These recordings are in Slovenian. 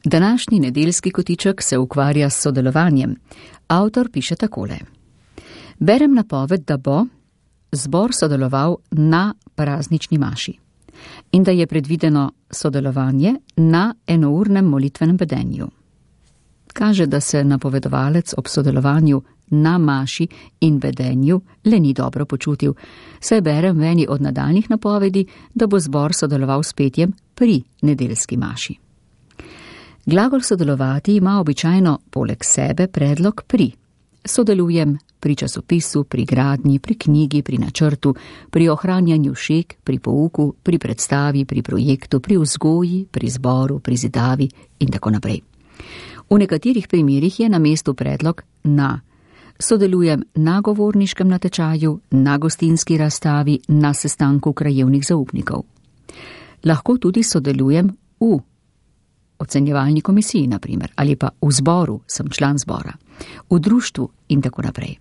Današnji nedeljski kotiček se ukvarja s sodelovanjem. Avtor piše takole. Berem napoved, da bo zbor sodeloval na praznični maši in da je predvideno sodelovanje na enournem molitvenem bedenju. Kaže, da se napovedovalec ob sodelovanju na maši in bedenju le ni dobro počutil, saj berem v eni od nadaljnjih napovedi, da bo zbor sodeloval s petjem pri nedeljski maši. Glagol sodelovati ima običajno poleg sebe predlog pri. Sodelujem pri časopisu, pri gradnji, pri knjigi, pri načrtu, pri ohranjanju šeg, pri pouku, pri predstavi, pri projektu, pri vzgoji, pri zboru, pri zidavi in tako naprej. V nekaterih primerih je na mestu predlog na. Sodelujem na govorniškem natečaju, na gostinski razstavi, na sestanku krajevnih zaupnikov. Lahko tudi sodelujem v ocenjevalni komisiji, na primer, ali pa v zboru, sem član zbora, v društvu in tako naprej.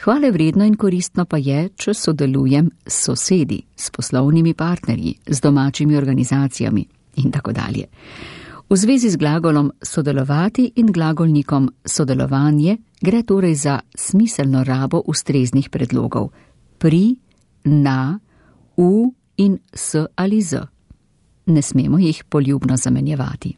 Hvale vredno in koristno pa je, če sodelujem s sosedi, s poslovnimi partnerji, z domačimi organizacijami in tako dalje. V zvezi z glagolom sodelovati in glagolnikom sodelovanje gre torej za smiselno rabo ustreznih predlogov pri, na, v in s ali z. Ne smemo jih poljubno zamenjevati.